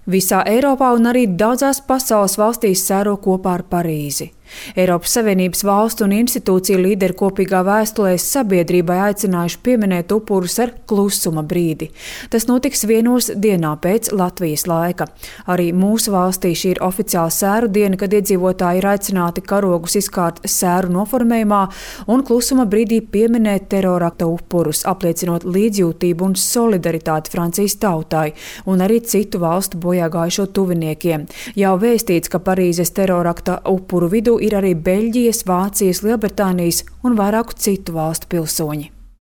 Visā Eiropā un arī daudzās pasaules valstīs sēro kopā ar Parīzi. Eiropas Savienības valstu un institūciju līderi kopīgā vēstulē sabiedrībai aicinājuši pieminēt upurus ar klusuma brīdi. Tas notiks 1 dienā pēc Latvijas laika. Arī mūsu valstī šī ir oficiāla sēru diena, kad iedzīvotāji ir aicināti karogus izkārt sēru noformējumā un klusuma brīdī pieminēt terorakta upurus, apliecinot līdzjūtību un solidaritāti Francijas tautai un arī citu valstu bojāgājušo tuviniekiem. Jau vēstīts, ka Parīzes terorakta upuru vidū ir arī Beļģijas, Vācijas, Lielbritānijas un vairāku citu valstu pilsoņi.